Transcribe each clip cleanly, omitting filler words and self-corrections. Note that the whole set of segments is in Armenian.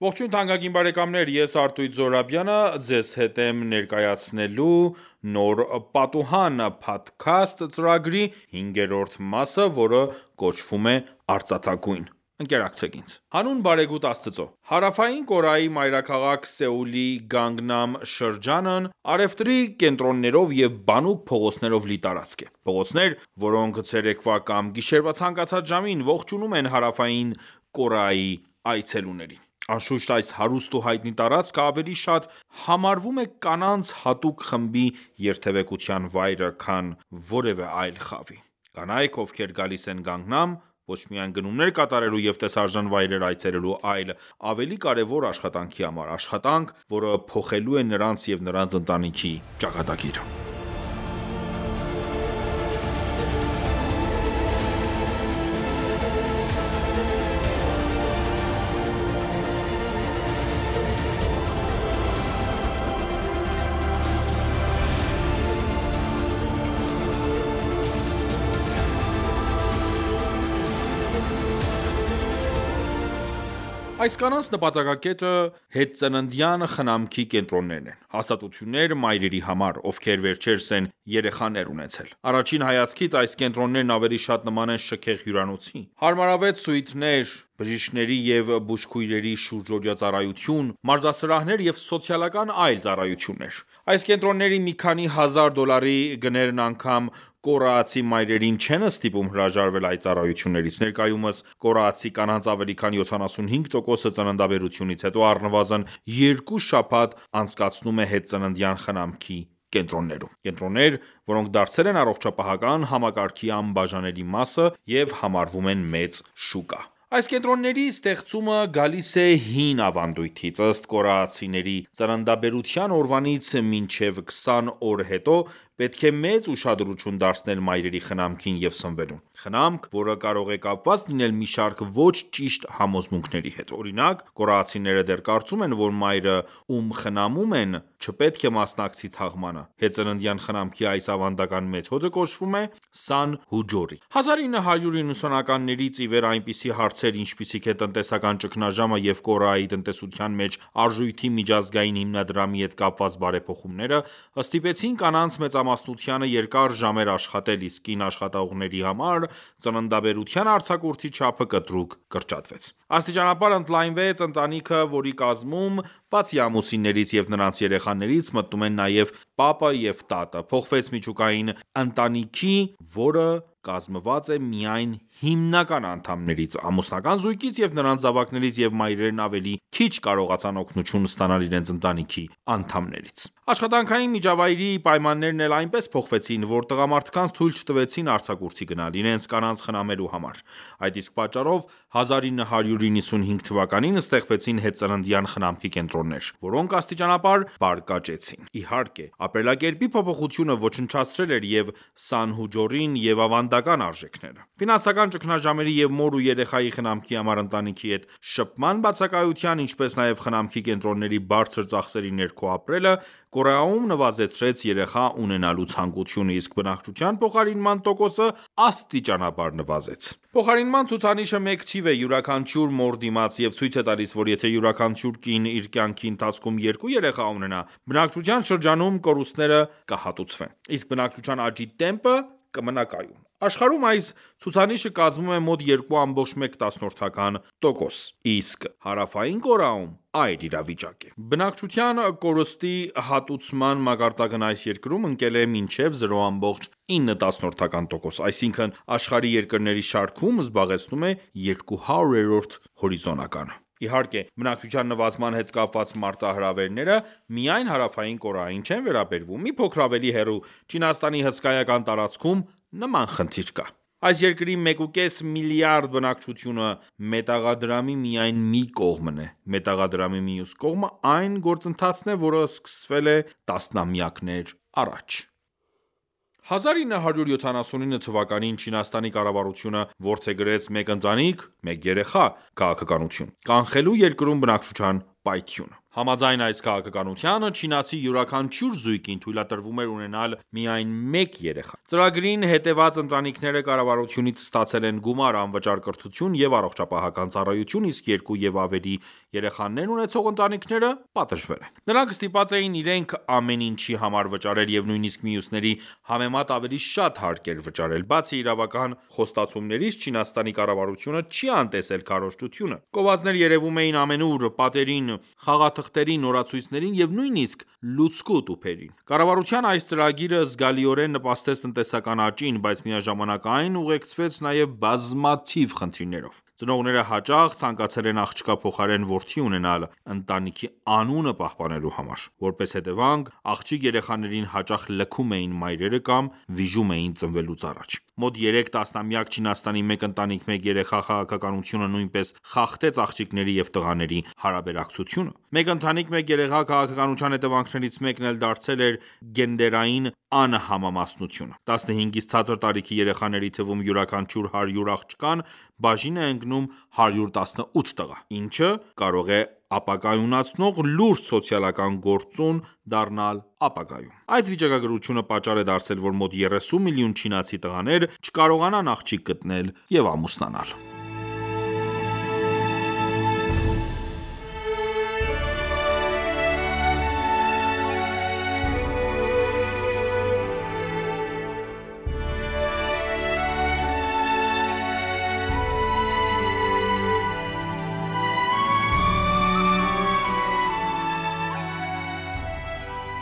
Ողջույն թանկագին բարեկամներ, ես Արտույտ Զոհրաբյանը ձեզ հետ եմ ներկայացնելու նոր «Պատուհան» փոդքասթ ծրագրի 5-րդ մասը, որը կոչվում է «Արծաթագույն»: Ընկերակցեք ինձ: Հանուն բարեգութ Աստծո: Հարավային Կորեայի մայրաքաղաք Սեուլի Գանգնամ շրջանն առևտրի կենտրոններով և բանուկ փողոցներով լի տարածք է: Փողոցներ, որոնք ցերեկվա կամ գիշերվա ցանկացած ժամին ողջունում են Հարավային Կորեայի այցելուներին: Անշուշտ, այս հարուստ ու հայտնի տարածքը ավելի շատ համարվում է կանանց հատուկ խմբի երթևեկության վայրը, քան որևէ այլ խավի: Կանայք, ովքեր գալիս են Գանգնամ, ոչ միայն գնումներ կատարելու և տեսարժան վայրեր այցելելու, այլ ավելի կարևոր աշխատանքի համար: Աշխատանք, որը փոխելու է նրանց և նրանց ընտանիքի ճակատագիրը: Այս կանանց նպատակակետը հետծննդյան խնամքի կենտրոններն են: Հաստատություններ մայրերի համար, ովքեր վերջերս են երեխաներ ունեցել: Առաջին հայացքից այս կենտրոններն ավելի շատ նման են շքեղ հյուրանոցի: Հարմարավետ սուիթներ, բժիշկների և բուժքույրերի շուրջօրյա ծառայություն, մարզասրահներ և սոցիալական այլ ծառայություններ: Այս կենտրոնների մի քանի հազար դոլարի գներն անգամ կորեացի մայրերին չեն ստիպում հրաժարվել այդ ծառայություններից: Ներկայումս կորեացի կանանց ավելի քան 75%-ը ծննդաբերությունից հետո առնվազն 2 շաբաթ անցկացնում է հետծննդյան խնամքի կենտրոններում: Կենտրոններ, որոնք դարձել են առողջապահական համակարգի անբաժանելի մասը և համարվում են մեծ շուկա: Այս կենտրոնների ստեղծումը գալիս է հին ավանդույթից: Ըստ կորեացիների, ծննդաբերության օրվանից մինչև 20 օր հետո պետք է մեծ ուշադրություն դարձնել մայրերի խնամքին և սնվելուն: Խնամք, որը կարող է կապված լինել մի շարք ոչ ճիշտ համոզմունքների հետ: Օրինակ, կորեացիները դեռ կարծում են, որ մայրը, ում խնամում են, չպետք է մասնակցի թաղմանը: Հետծննդյան խնամքի այս ավանդական մեթոդը կոչվում է Սանհուջորի: 1990-ականներից ի վեր այնպիսի հարցեր, ինչպիսիք են տնտեսական ճգնաժամը և Կորեայի տնտեսության մեջ արժույթի միջազգային հիմնադրամի հետ կապված բարեփոխումները, ստիպեցին կանանց մեծամասնությանը երկար ժամեր աշխատել, իսկ կին աշխատողների համար ծննդաբերության արձակուրդի չափը կտրուկ կրճատվեց: Աստիճանաբար ընդլայնվեց ընտանիքը, որի կազմում, բացի ամուսիններից և նրանց երեխաներից, մտնում են նաև պապը և տատը: Փոխվեց միջուկային ընտանիքի, որը կազմված է միայն հիմնական անդամներից, ամուսնական զույգից և նրանց զավակներից և մայրերն ավելի քիչ կարողացան օգնություն ստանալ իրենց ընտանիքի անդամներից: Աշխատանքային միջավայրի պայմաններն էլ այնպես փոխվեցին, որ տղամարդկանց թույլ չտվեցին արձակուրդի գնալ, իրենց կանանց խնամելու համար: Այդ իսկ պատճառով 1995 թվականին ստեղծվեցին հետծննդյան խնամքի կենտրոններ, որոնք աստիճանաբար բարգավաճեցին: Իհարկե, ապրելակերպի փոփոխությունը ոչնչացրել էր և Սանհուջորին և ավանդական արժեքները: Ֆինանսական ճգնաժամերի և մոր ու երեխայի խնամքի համար ընտանիքի հետ շփման բացակայության, ինչպես նաև խնամքի կենտրոնների բարձր ծախսերի ներքո ապրելը, Կորեայում նվազեցրեց երեխա ունենալու ցանկությունը, իսկ բնակչության փոխարինման տոկոսը աստիճանաբար նվազեց: Փոխարինման ցուցանիշը մեկ թիվ է յուրաքանչյուր մոր դիմաց և ցույց է տալիս, որ եթե յուրաքանչյուր կին իր կյանքի ընթացքում 2 երեխա ունենա, բնակչության շրջանում կորուստները կհատուցվեն, իսկ բնակչության աճի տեմպը կմնա կայուն: Աշխարհում այս ցուցանիշը կազմում է մոտ 2.4%, իսկ Հարավային Կորեայում այլ իրավիճակ է: Բնակչության կորստի հատուցման մակարդակն այս երկրում ընկել է մինչև 0.9%, այսինքն աշխարհի երկրների շարքում զբաղեցնում է 200-րդ հորիզոնականը: Իհարկե, բնակչության նվազման հետ կապված մարտահրավերները միայն Հարավային Կորեային չեն վերաբերվում: Մի փոքր ավելի հեռու, Չինաստանի հսկայական տարածքում նման խնդիր կա: Այս երկրի 1.5 միլիարդ բնակչությունը մետաղադրամի միայն մի կողմն է: Մետաղադրամի մյուս կողմը այն գործընթացն է, որը սկսվել է տասնամյակներ առաջ: 1979 թվականին Չինաստանի կառավարությունը որդեգրեց «մեկ ընտանիք, մեկ երեխա» քաղաքականություն, կանխելու երկրում բնակչության պայթյունը։ Համաձայն այս քաղաքականությանը, չինացի յուրաքանչյուր զույգին թույլատրվում էր ունենալ միայն մեկ երեխա։ Ծրագրին հետևած ընտանիքները կառավարությունից ստացել են գումար, անվճար կրթություն և առողջապահական ծառայություն, իսկ 2 և ավելի երեխաներ ունեցող ընտանիքները պատժվել են։ Նրանք ստիպված էին իրենք ամեն ինչի համար վճարել և նույնիսկ մյուսների համեմատ ավելի շատ հարկ էր վճարել։ Բացի իրավական խոստացումներից, Չինաստանի կառավարությունը չի անտեսել քարոզչությունը։ Գովազդներ երևում էին ամենուր՝ պատերին, խաղաթղթերին, օրացույցներին և նույնիսկ լուցկու տուփերին։ Կառավարության այս ծրագիրը զգալիորեն նպաստեց տնտեսական աճին, բայց միաժամանակ այն ուղեկցվեց նաև բազմաթիվ խնդիրներով։ Ծնողները հաճախ ցանկացել են աղջկա փոխարեն որդի ունենալ ընտանիքի անունը պահպանելու համար։ Որպես հետևանք, աղջիկ երեխաներին հաճախ լքում էին մայրերը կամ վիժում էին ծնվելուց առաջ։ Մոտ 3 տասնամյակ Չինաստանի մեկ ընտանիք մեկ երեխա քաղաքականությունը նույնպես խախտեց աղջիկների և տղաների հարաբերակցությունը։ Մեկ ընտանիք մեկ երեխա քաղաքականության հետևանքներից մեկն էլ դարձել էր գենդերային անհամամասնությունը։ 15-ից ցածր տարիքի երեխաների թվում յուրաքանչյուր 100 աղջկան բաժին է ընկնում 118 տղա, ինչը կարող է ապակայունացնող լուրջ սոցիալական գործոն դառնալ ապագայում։ Այս վիճակագրությունը պատճառ է դարձել, որ մոտ 30 միլիոն չինացի տղաներ չկարողանան աղջիկ գտնել և ամուսնանալ։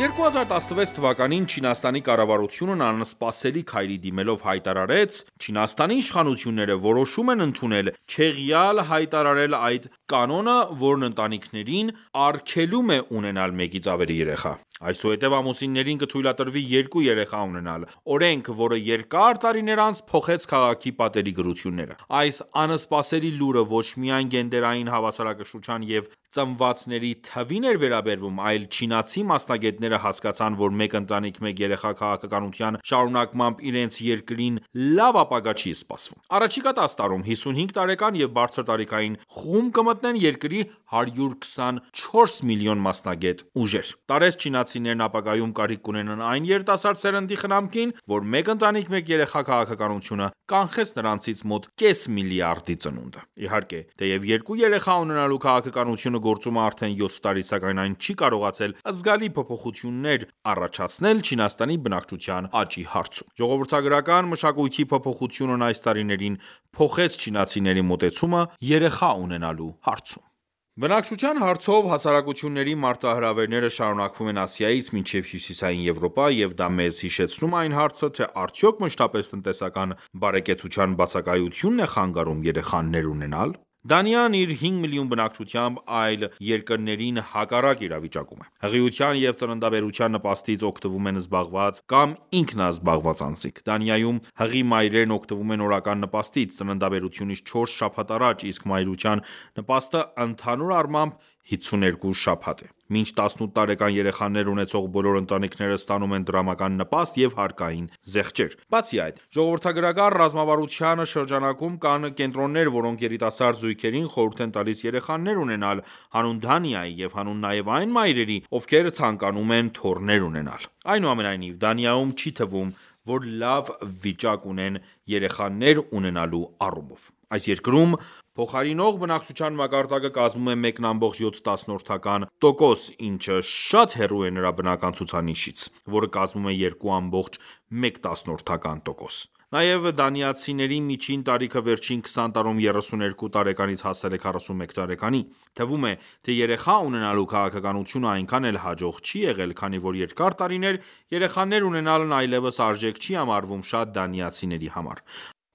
«2016 թվականին Չինաստանի կառավարությունն անսպասելի քայլի դիմելով հայտարարեց. «Չինաստանի իշխանությունները որոշում են ընդունել չեղյալ հայտարարել այդ կանոնը, որն ընտանիքներին արգելում է ունենալ մեկից ավելի երեխա։ Այսուհետև ամուսիններին կթույլատրվի 2 երեխա ունենալ։ Օրենք, որը երկար տարիներ անց փոխեց քաղաքի պատերի գրությունները»։ Այս անսպասելի լուրը ոչ միայն գենդերային հավասարակշռության և ծնվածների թվին էր վերաբերվում, այլ չինացի մասնագետները հասկացան, որ մեկ ընտանիք մեկ երեխա քաղաքականության շարունակմամբ իրենց երկրին լավ ապագա չի սպասվում։ Առաջիկա 10 տարում 55 տարեկան և բարձր տարիքային խումբ կմտնեն երկրի 124 միլիոն մասնագետ ուժեր։ Տարեց չինացիներն ապագայում կարիք կունենան այն երիտասարդ սերնդի խնամքին, որ մեկ ընտանիք մեկ երեխա քաղաքականությունը կանխեց նրանցից մոտ կես միլիարդի ծնունդը։ Իհարկե, թեև 2 երեխա ունենալու քաղաքականությունը գործում է արդեն 7 տարի, սակայն այն չի կարողացել զգալի փոփոխություններ առաջացնել Չինաստանի բնակչության աճի հարցում։ Ժողովրդագրական մշակույթի փոփոխությունն այս տարիներին փոխեց չինացիների մոտեցումը երեխա ունենալու հարցում։ Բնակչության հարցով հասարակությունների մարտահրավերները շարունակվում են Ասիայից մինչև Հյուսիսային Եվրոպա, և դա մեզ հիշեցնում է այն հարցը, թե արդյոք մշտապես տնտեսական բարեկեցության բացակայությու՞նն է խանգարում երեխաներ ունենալ։ Դանիան իր 5 միլիոն բնակչությամբ այլ երկրներին հակառակ իրավիճակում է։ Հղիության և ծննդաբերության նպաստից օգտվում են զբաղված կամ ինքնազբաղված անձինք։ Դանիայում հղի մայրերն օգտվում են օրական նպաստից ծննդաբերությունից 4 շաբաթ առաջ, իսկ մայրության նպաստը ընդհանուր առմամբ 52 շաբաթ է։ Մինչ 18 տարեկան երեխաներ ունեցող բոլոր ընտանիքները ստանում են դրամական նպաստ և հարկային զեղչեր։ Բացի այդ, ժողովրդագրական ռազմավարության շրջանակում կան կենտրոններ, որոնք երիտասարդ զույգերին խորհուրդ են տալիս երեխաներ ունենալ հանուն Դանիայի և հանուն նաև այն մայրերի, ովքեր ցանկանում են թոռներ ունենալ։ Այնուամենայնիվ, Դանիայում չի թվում, որ լավ վիճակ ունեն երեխաներ ունենալու առումով։ Այս երկրում փոխարինող բնակչության մակարդակը կազմում է 1,7%, ինչը շատ հեռու է նրա բնական ցուցանիշից, որը կազմում է 2,1%։ Նաև դանիացիների միջին տարիքը վերջին 20 տարում 32 տարեկանից հասել է 41 տարեկանի։ Թվում է, թե երեխա ունենալու քաղաքականությունը այնքան էլ հաջող չի եղել, քանի որ երկար տարիներ երեխաներ ունենալն այլևս արժեք չի համարվում շատ դանիացիների համար։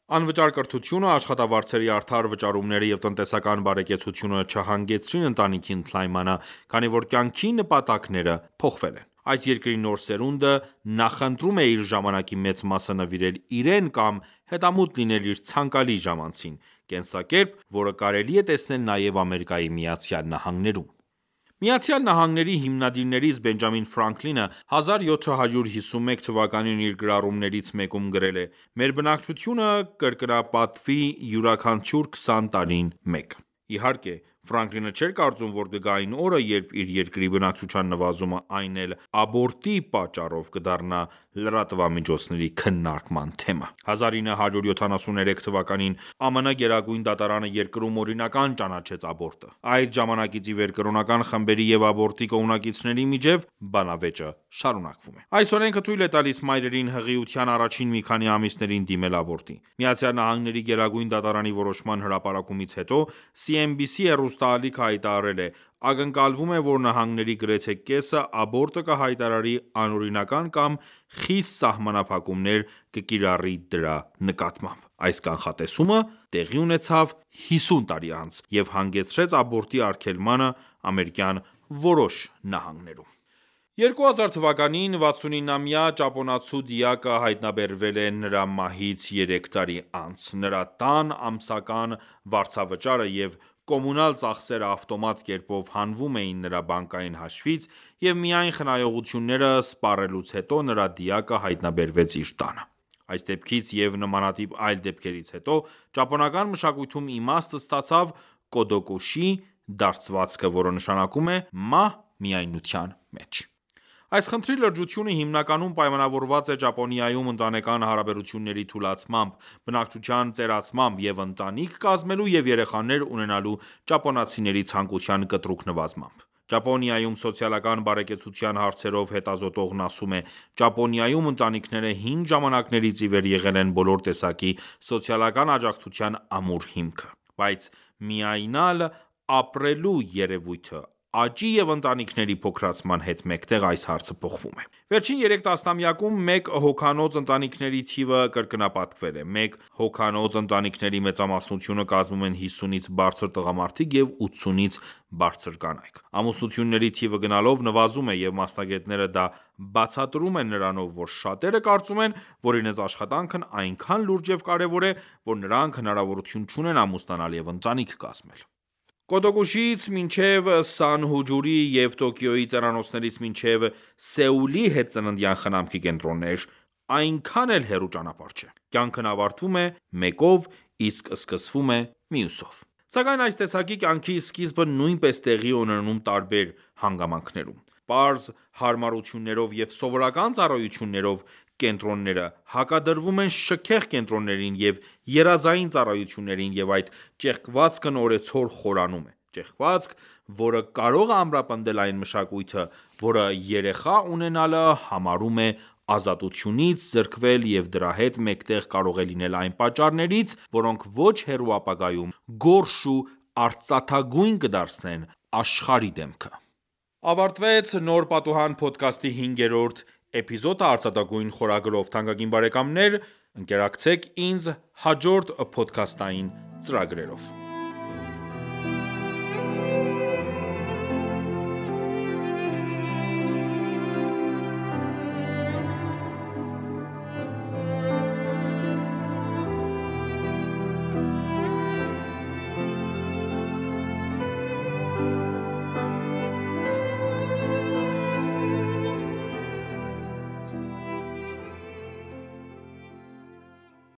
Անվճար կրթությունը, աշխատավարձերի արդար վճարումները և տնտեսական բարեկեցությունը չհանգեցրին ընտանիքի ընդլայնմանը, քանի որ կյանքի նպատակները փոխվել են։ Այս երկրի նոր սերունդը նախընտրում է իր ժամանակի մեծ մասը նվիրել իրեն կամ հետամուտ լինել իր ցանկալի ժամանցին, կենսակերպ, որը կարելի է տեսնել նաև ԱՄՆ-ում։ ԱՄՆ-ի հիմնադիրներից Բենջամին Ֆրանկլինը 1751 թվականին իր գրառումներից մեկում գրել է. «Մեր բնակչությունը կրկնապատկվի յուրաքանչյուր 20 տարին մեկ»։ Իհարկե, Ֆրանկլինը չէր կարծում, որ կգա այն օրը, երբ իր երկրի բնակչության նվազումը, այն էլ աբորտի պատճառով, կդառնա լրատվամիջոցների քննարկման թեմա։ 1973 թվականին ԱՄՆ գերագույն դատարանը երկրում օրինական ճանաչեց աբորտը։ Այդ ժամանակից ի վեր կրոնական խմբերի և աբորտի կողմնակիցների միջև բանավեճը շարունակվում է։ Այս օրենքը թույլ է տալիս մայրերին հղիության առաջին մի քանի ամիսներին դիմել աբորտի։ ԱՄՆ գերագույն դատարանի որոշման հրապարակումից հետո CNBC հեռուստաալիքը հայտարարել է. ակնկալվում է, որ նահանգների գրեթե կեսը աբորտը կհայտարարի անօրինական կամ խիստ սահմանափակումներ կկիրառի դրա նկատմամբ։ Այս կանխատեսումը տեղի ունեցավ 50 տարի անց և հանգեցրեց աբորտի արգելմանը ամերիկյան որոշ նահանգներում։ 2000 թվականին 69-ամյա ճապոնացու դիակը հայտնաբերվել է նրա մահից 3 տարի անց։ Նրա տան ամսական վարձավճարը և կոմունալ ծախսերը ավտոմատ կերպով հանվում էին նրա բանկային հաշվից, և միայն խնայողությունները սպառելուց հետո նրա դիակը հայտնաբերվեց իր տանը։ Այս դեպքից և նմանատիպ այլ դեպքերից հետո ճապոնական մշակույթում իմաստ ստացավ կոդոկուշի դարձվածքը, որը նշանակում է մահ միայնության մեջ։ Այս խնդրի լրջությունը հիմնականում պայմանավորված է Ճապոնիայում ընտանեկան հարաբերությունների թուլացմամբ, բնակչության ծերացմամբ և ընտանիք կազմելու և երեխաներ ունենալու ճապոնացիների ցանկության կտրուկ նվազմամբ։ Ճապոնիայում սոցիալական բարեկեցության հարցերով հետազոտողն ասում է. Ճապոնիայում ընտանիքները հին ժամանակներից ի վեր եղել են բոլոր տեսակի սոցիալական աջակցության ամուր հիմքը։ Բայց միայնալ ապրելու երևույթը աճի և ընտանիքների փոքրացման հետ մեկտեղ այս հարցը փոխվում է։ Վերջին 3 տասնամյակում մեկ հոգանոց ընտանիքների թիվը կրկնապատկվել է։ Մեկ հոգանոց ընտանիքների մեծամասնությունը կազմում են 50-ից բարձր տղամարդիկ և 80-ից բարձր կանայք։ Ամուսնությունների թիվը գնալով նվազում է, և մասնագետները դա բացատրում են նրանով, որ շատերը կարծում են, որ իրենց աշխատանքն այնքան լուրջ և կարևոր է, որ նրանք հնարավորություն չունեն ամուսնանալ և ընտանիք կազմել։ Կոդոկուշիից մինչև Սանհուջուրի և Տոկիոյի ծերանոցներից մինչև Սեուլի հետծննդյան խնամքի կենտրոններ այնքան էլ հեռու ճանապարհ չէ։ Կյանքն ավարտվում է մեկով, իսկ սկսվում է մյուսով։ Սակայն այս տեսակի կյանքի սկիզբը նույնպես տեղի է ունենում տարբեր հանգամանքներում։ Պարզ հարմարություններով և սովորական ծառայություններով կենտրոնները հակադրվում են շքեղ կենտրոններին և երազային ծառայություններին, և այդ ճեղքվածքն օրեցօր խորանում է։ Ճեղքվածք, որը կարող է ամրապնդել այն մշակույթը, որը երեխա ունենալը համարում է ազատությունից զրկվել և դրա հետ մեկտեղ կարող է լինել այն պատճառներից, որոնք ոչ հեռու ապագայում գորշ ու արծաթագույն կդարձնեն աշխարհի դեմքը։ Ավարտվեց «Նոր պատուհան» փոդքասթի 5-րդ էպիզոդը արծաթագույն խորագրով։ Թանկագին բարեկամներ ընկերակցեք ինձ հաջորդ փոդքասթային ծրագրերով։